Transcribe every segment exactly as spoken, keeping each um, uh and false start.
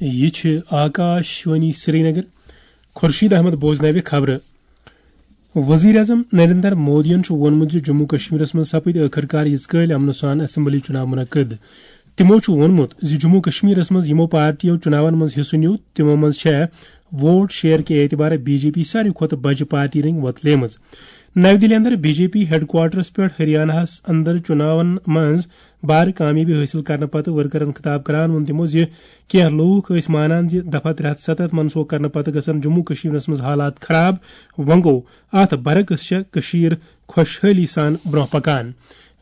یہِ چھِ آکاش وانی سرینگر۔ خورشید احمد بوزناوِ خبرٕ۔ وزیر اعظم نریندر مودیَن چھُ ووٚنمُت زِ جموں کشمیرَس منٛز سپٕدۍ ٲخٕر کار یِژ کٲلۍ امنہٕ سان اسمبلی چُناو منعقد۔ تِمو چھُ ووٚنمُت زِ جموں کشمیرَس منٛز یِمو پارٹیو چُناون منٛز حصہٕ نیوٗ، تِمو منٛز چھےٚ ووٹ شیئر کہِ اعتبارٕ بی جے پی ساروی کھۄتہٕ بجہِ پارٹی رٔنگۍ وۄتلیمٕژ۔ نَوِ دِلہِ اندر بی جے پی ہیڈ کوارٹرَس پٮ۪ٹھ ہریاناہَس اندر چُناون منٛز بارٕ کامیٲبی حٲصِل کرنہٕ پتہٕ ورکرَن خطاب کران ووٚن تِمو زِ کینٛہہ لوٗکھ ٲسۍ مانان زِ دفعہ ترٛےٚ ہَتھ سَتَتھ منسوخ کرنہٕ پتہٕ گژھن جموں کشمیرَس منٛز حالات خراب، وۄنۍ گوٚو اتھ برعکس چھےٚ کٔشیٖر خۄشحٲلی سان برونٛہہ پکان۔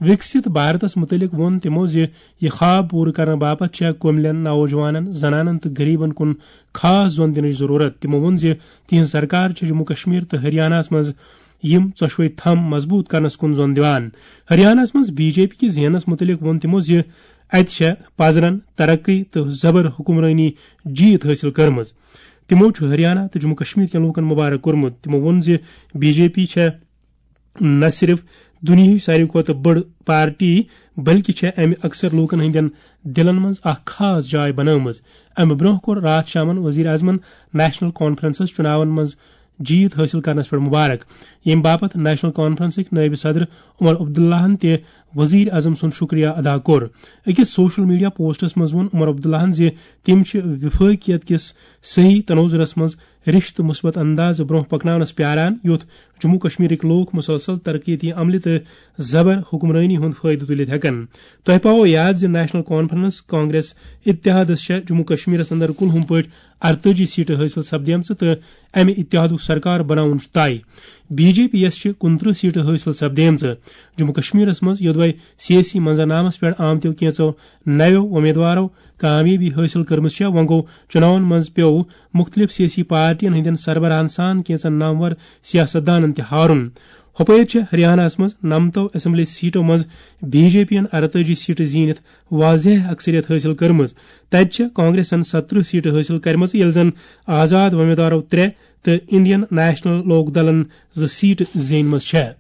وِکسِت بھارتَس مُتعلِق ووٚن تِمو زِ یہِ خواب پوٗرٕ کرنہٕ باپتھ چھےٚ کُملٮ۪ن، نوجوانَن، زنانَن تہٕ غریٖبَن کُن خاص زۄن دِنٕچ ضروٗرت۔ تِمو ووٚن زِ تِہنٛز سرکار چھےٚ جموں کشمیر تہٕ ہریاناہَس منٛز یِم ژۄشوَے تھم مضبوٗط کرنَس کُن زۄن دِوان۔ ہریاناہَس منٛز بی جے پی کِس زینَس مُتعلِق ووٚن تِمو زِ اَتہِ چھےٚ پزرن، ترقی تہٕ زبر حکمرٲنی جیت حٲصِل کٔرمٕژ۔ تِمو چھُ ہریانہ تہٕ جموں کشمیر کٮ۪ن لوٗکَن مُبارک کوٚرمُت۔ تِمو ووٚن زِ بی جے پی چھےٚ نہ صرف دُنیاہٕچ ساروی کھۄتہٕ بٔڑ پارٹی، بلکہِ چھےٚ امہِ اکثر لوٗکَن ہٕنٛدٮ۪ن دِلَن منٛز اکھ خاص جاے بنٲومٕژ۔ امہِ برونٛہہ کوٚر راتھ شامَن وزیر اعظمَن نیشنل کانفرنسَس چُناون منٛز جیت حٲصِل کرنَس پٮ۪ٹھ مُبارک، ییٚمہِ باپتھ نیشنل کانفرنسٕکۍ نٲیِب صدر عمر عبداللہَن تہِ وزیر اعظم سُنٛد شُکریہ ادا کوٚر۔ أکِس سوشل میڈیا پوسٹَس منٛز ووٚن عمر عبداللہَن زِ تِم چھِ وفٲقیت کِس صحیح تناظرَس منٛز رِشتہٕ مثبت اندازٕ برونٛہہ پکناونَس پیاران، یُتھ جموں کشمیرٕکۍ لوٗکھ مسلسل ترقیتی عملہِ تہٕ زبر حکمرٲنی ہُنٛد فٲیدٕ تُلِتھ ہٮ۪کن۔ تۄہہِ پاوو یاد زِ نیشنل کانفرنس کانگریس اتحادس چھےٚ جموں کشمیرس اندر کُلہُم پٲٹھۍ ارتٲجی سیٹہٕ حٲصِل سپدیمژٕ تہٕ امہِ اتحادُک سرکار بناوُن چھُ طے۔ بی جے پی یَس چھِ کُنترٕہ سیٹہٕ حٲصِل سپدیمژٕ۔ جموں کشمیرس منٛز یوٚدوے سیٲسی منظرنامس پٮ۪ٹھ آمتیو کینٛژو نویو امیدوارو کامیٲبی حٲصِل کٔرمٕژ چھےٚ، وۄنۍ گوٚو چُناون منٛز پیوٚو مُختٔلِف سیٲسی پارٹین ہٕنٛدٮ۪ن سربراہن سان کینٛژن نامور سیاستدانن تہِ ہارُن۔ ہۄپٲرۍ چھےٚ ہریاناہس منٛز نَمتو اسمبلی سیٹو منٛز بی جے پی ین ارتٲجی سیٹہٕ زیٖنِتھ واضح اکثریت حٲصِل کٔرمٕژ۔ تتہِ چھےٚ کانگریسن ستترٕہ سیٹہٕ حٲصِل کٔرمٕژ، ییٚلہِ زن آزاد وۄمیدوارو ترٛےٚ تہٕ انڈین نیشنل لوک دلن زٕ سیٹہٕ زیٖنمٕژ چھےٚ۔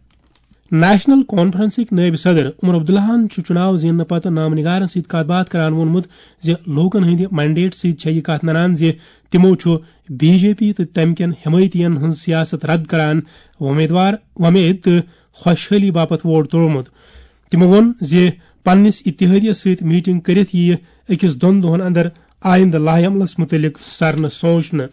نیشنل کانفرنسٕکۍ نٲیِب صدر عمر عبداللہَن چھُ چُناو زیننہٕ پتہٕ نامہ نگارن سۭتۍ کتھ باتھ کران ووٚنمُت زِ لوٗکن ہٕنٛدِ مینڈیٹ سۭتۍ چھےٚ یہِ کتھ ننان زِ تِمو چھُ بی جے پی تہٕ تَمہِ کٮ۪ن حمایتین ہٕنٛز سیاست رد کران وۄمیدوار وۄمید تہٕ خۄشحٲلی باپتھ ووٹ ترٛوومُت۔ تِمو ووٚن زِ پننِس اتحادیس سۭتۍ میٹنگ کٔرِتھ یِیہِ أکِس دۄن دۄہن اندر آیندٕ لائحہ عملس مُتعلق سرنہٕ سونچنہٕ۔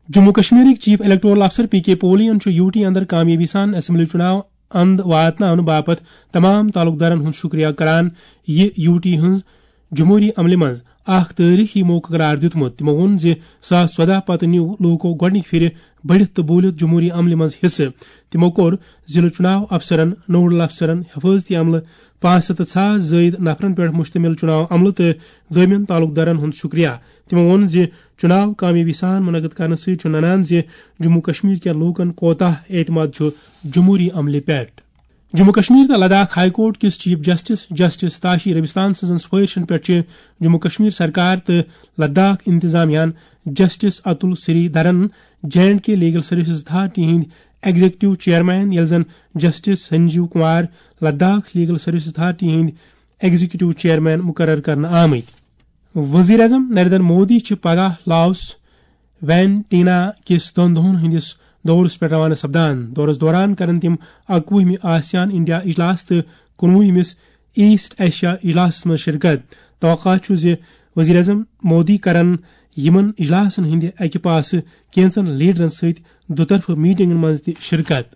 جموں کشمیرٕکۍ چیف الیکٹورل افسر پی کے پولین چھُ یو ٹی اندر کامیٲبی سان اسمبلی چُناو اند واتناونہٕ باپتھ تمام تعلقدارن ہُنٛد شُکریہ کران، یہِ یو ٹی ہٕنٛز جمہوٗری عملہِ منٛز اکھ تٲریخی موقعہٕ قرار دیُتمُت۔ تِمو ووٚن زِ زٕ ساس ژۄدہ پتہٕ نیوٗ لوٗکو گۄڈٕنِکہِ پھِرِ بٔڑِتھ تہٕ بوٗلِتھ جمہوٗری عملہِ منٛز حصہٕ۔ تِمو کوٚر ضلعہٕ چُناو افسرن، نوڈل افسرن، حفاظتی عملہٕ، پانٛژھ ہَتھ تہٕ ساس زٲیِد نفرن پٮ۪ٹھ مشتمل چُناو عملہٕ تہٕ دویمٮ۪ن تعلقدارن ہُنٛد شُکریہ۔ تِمو ووٚن زِ چُناو کامیٲبی سان منعقد کرنہٕ سۭتۍ چھُ ننان زِ جموں کشمیر کٮ۪ن لوٗکن کوتاہ اعتماد چھُ جمہوٗری عملہِ پٮ۪ٹھ۔ جموں کشمیر تہٕ لداخ ہائی کورٹ کِس chief justice justice Tashi Rabstan سٕنٛزن سفٲرشن پٮ۪ٹھ چھِ جموں کشمیر سرکار تہٕ لداخ انتظامیہ ہن justice Atul Sreedharan J and K legal services authority ہٕنٛدۍ ایگزیکٹو چیئرمین، ییٚلہِ زن justice Sanjeev Kumar Ladakh legal services authority ہٕنٛدۍ ایگزیکٹو چیئرمین مقرر کرنہٕ آمٕتۍ۔ وزیر اعظم نریندر مودی چھِ پگاہ لاوس وینٹینا کِس دۄن دۄہن ہٕنٛدِس دورس پٮ۪ٹھ روانہٕ سپدان۔ دورس دوران کرن تِم اکوُہمہِ آسیان انڈیا اجلاس تہٕ کُنوُہمِس ایسٹ ایشیا اجلاسس منٛز شرکت۔ توقع چھُ زِ وزیر اعظم مودی کرن یِمن اجلاسن ہٕنٛدِ اکہِ پاسہٕ کینژن لیڈرن سۭتۍ دُطرفہٕ میٹنگن منٛز تہِ شرکت۔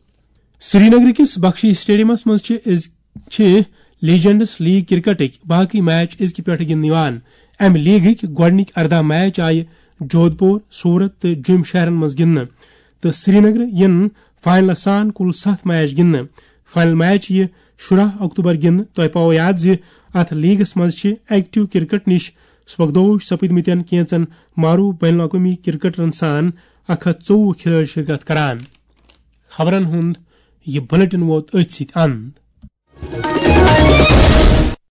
سرینگر کِس بخشی اسٹیڈیمس منٛز چھِ أز چھِ لیجنڈس لیگ کرکٹٕکۍ باقٕے میچ أزکہِ پٮ۪ٹھٕ گِنٛدنہٕ یِوان۔ امہِ لیگٕکۍ گۄڈٕنِکۍ ارداہ میچ آیہِ جودھ پور، سورت تہٕ جوٚم شہرن منٛز گِنٛدنہٕ تہٕ سرینگرٕ یِن فاینلس سان کُل ستھ میچ گِنٛدنہٕ۔ فاینل میچ یِیہِ شُراہ اکتوبر گِنٛدنہٕ۔ تۄہہِ پاوو یاد زِ اتھ لیگس منٛز چھِ ایکٹیو کرکٹ نِش سبکدوش سپٕدمٕتٮ۪ن کینژن معروف بین الاقوٲمی کرکٹرن سان اکھ ہتھ ژوٚوُہ کھلٲڑۍ شرکت کران۔ خبرن ہُنٛد یہِ بلیٹن ووت أتھۍ سۭتۍ اند۔